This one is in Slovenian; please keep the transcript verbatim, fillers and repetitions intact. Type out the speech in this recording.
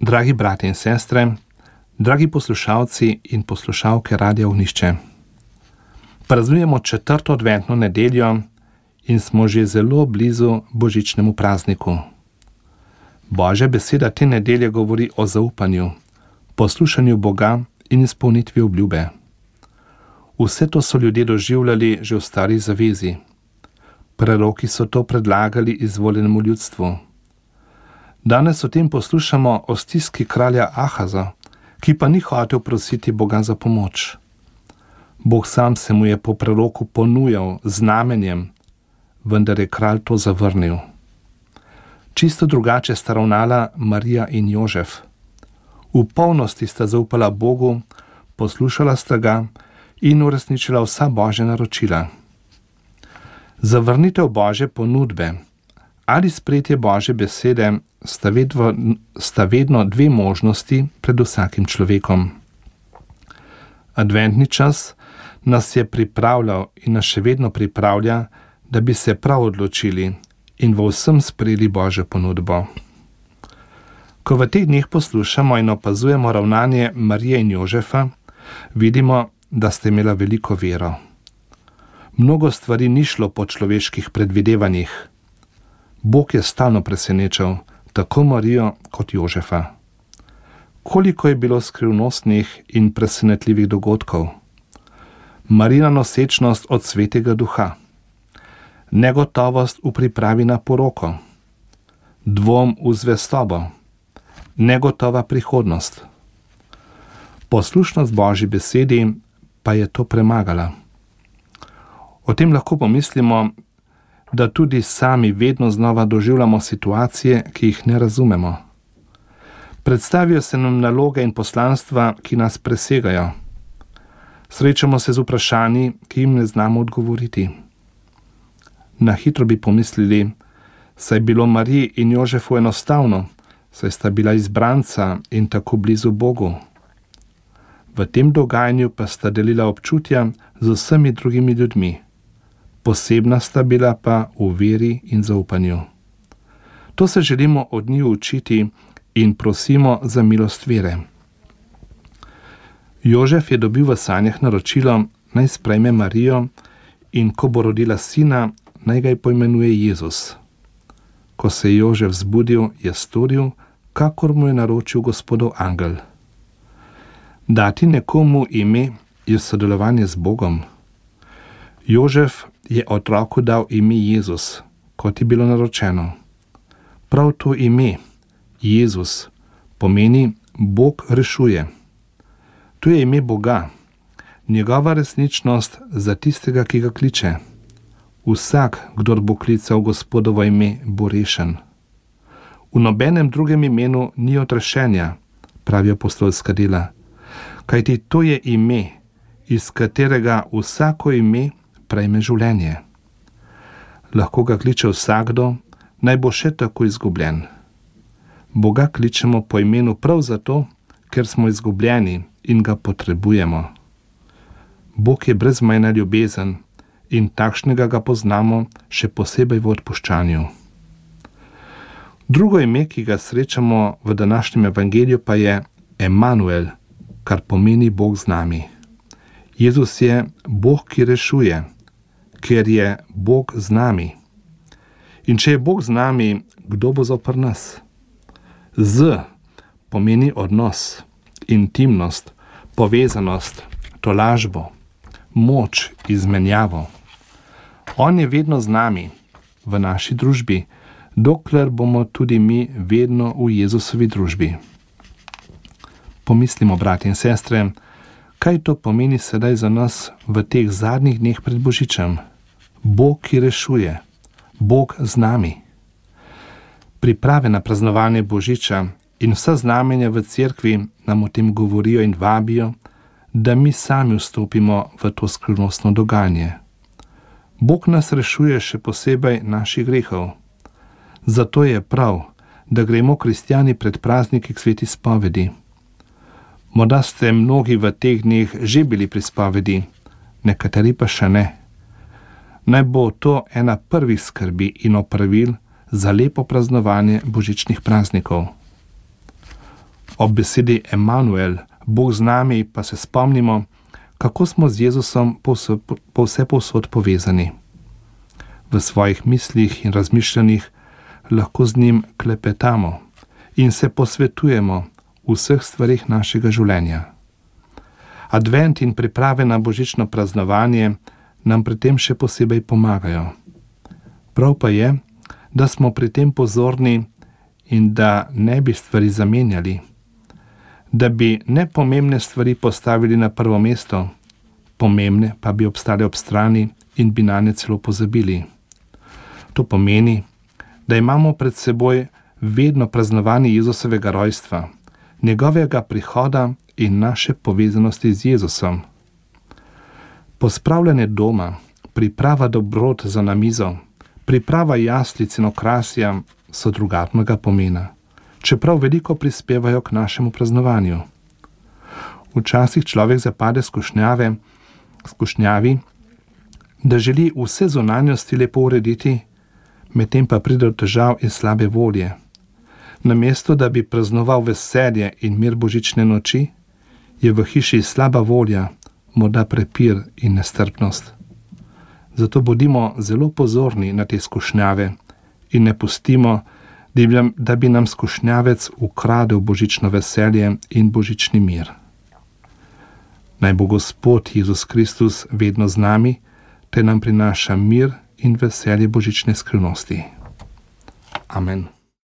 Dragi brati in sestre, dragi poslušalci in poslušalke Radia Ognjišče. Praznujemo četrto adventno nedeljo in smo že zelo blizu božičnemu prazniku. Božja beseda te nedelje govori o zaupanju, poslušanju Boga in izpolnitvi obljube. Vse to so ljudje doživljali že v stari zavezi. Preroki so to predlagali izvoljenemu ljudstvu. Danes o tem poslušamo o stiski kralja Ahaza, ki pa ni hotel prositi Boga za pomoč. Bog sam se mu je po preroku ponujal znamenjem, vendar je kralj to zavrnil. Čisto drugače sta ravnala Marija in Jožef. V polnosti sta zaupala Bogu, poslušala sta ga in uresničila vsa Božja naročila. Zavrnitev Božje ponudbe ali sprejetje Božje besede sta vedno, sta vedno dve možnosti pred vsakim človekom. Adventni čas nas je pripravljal in nas še vedno pripravlja, da bi se prav odločili in v vsem sprejeli Božjo ponudbo. Ko v teh dneh poslušamo in opazujemo ravnanje Marije in Jožefa, vidimo, da sta imela veliko vero. Mnogo stvari ni šlo po človeških predvidevanjih. Bog je stalno presenečal tako Marijo kot Jožefa. Koliko je bilo skrivnostnih in presenetljivih dogodkov. Marijina nosečnost od Svetega Duha, negotovost v pripravi na poroko, dvom v zvestobo, negotova prihodnost. Poslušnost Božji besedi pa je to premagala. O tem lahko pomislimo, da tudi sami vedno znova doživljamo situacije, ki jih ne razumemo. Predstavijo se nam naloge in poslanstva, ki nas presegajo. Srečamo se z vprašanji, ki jim ne znamo odgovoriti. Na hitro bi pomislili, saj je bilo Mariji in Jožefu enostavno, saj sta bila izbranca in tako blizu Bogu. V tem dogajanju pa sta delila občutja z vsemi drugimi ljudmi. Posebna sta bila pa v veri in zaupanju. To se želimo od njiju učiti in prosimo za milost vere. Jožef je dobil v sanjah naročilo, naj sprejme Marijo in ko bo rodila sina, naj ga poimenuje Jezus. Ko se je Jožef zbudil, je storil, kakor mu je naročil Gospodov angel. Dati nekomu ime je sodelovanje z Bogom. Jožef je otroku dal ime Jezus, kot je bilo naročeno. Prav to ime, Jezus, pomeni Bog rešuje. To je ime Boga, njegova resničnost za tistega, ki ga kliče. Vsak, kdor bo klical Gospodovo ime, bo rešen. V nobenem drugem imenu ni odrešenja, pravi apostolska dela, kajti to je ime, iz katerega vsako ime prejme življenje. Lahko ga kliče vsakdo, naj bo še tako izgubljen. Boga kličemo po imenu prav zato, ker smo izgubljeni in ga potrebujemo. Bog je brezmejna ljubezen in takšnega ga poznamo še posebej v odpuščanju. Drugo ime, ki ga srečamo v današnjem evangeliju, pa je Emanuel, kar pomeni Bog z nami. Jezus je Bog, ki rešuje, ker je Bog z nami. In če je Bog z nami, kdo bo zoper nas? Z pomeni odnos, intimnost, povezanost, tolažbo, moč, izmenjavo. On je vedno z nami, v naši družbi, dokler bomo tudi mi vedno v Jezusovi družbi. Pomislimo, brati in sestre, kaj to pomeni sedaj za nas v teh zadnjih dneh pred Božičem? Bog, ki rešuje, Bog z nami. Priprave na praznovanje Božiča in vsa znamenja v cerkvi nam o tem govorijo in vabijo, da mi sami vstopimo v to skrivnostno dogajanje. Bog nas rešuje še posebej naših grehov. Zato je prav, da gremo kristjani pred prazniki k sveti spovedi. Morda ste mnogi v teh dneh že bili pri spovedi, nekateri pa še ne. Naj bo to ena prvih skrbi in opravil za lepo praznovanje božičnih praznikov. Ob besedi Emanuel, Bog z nami, pa se spomnimo, kako smo z Jezusom po vse povsod povezani. V svojih mislih in razmišljanjih lahko z njim klepetamo in se posvetujemo v vseh stvarih našega življenja. Advent in priprave na božično praznovanje nam pri tem še posebej pomagajo. Prav pa je, da smo pri tem pozorni in da ne bi stvari zamenjali, da bi nepomembne stvari postavili na prvo mesto, pomembne pa bi obstale ob strani in bi nanje celo pozabili. To pomeni, da imamo pred seboj vedno praznovanje Jezusovega rojstva, njegovega prihoda in naše povezanosti z Jezusom. Pospravljanje doma, priprava dobrot za na mizo, priprava jaslic in okrasja so drugačnega pomena, čeprav veliko prispevajo k našemu praznovanju. Včasih človek zapade skušnjave, skušnjavi, da želi vse zunanjosti lepo urediti, medtem pa pride do težav in slabe volje. Namesto, da bi praznoval veselje in mir božične noči, je v hiši slaba volja, morda prepir in nestrpnost. Zato bodimo zelo pozorni na te skušnjave in ne pustimo, da bi nam skušnjavec ukradel božično veselje in božični mir. Naj bo Gospod Jezus Kristus vedno z nami, te nam prinaša mir in veselje božične skrivnosti. Amen.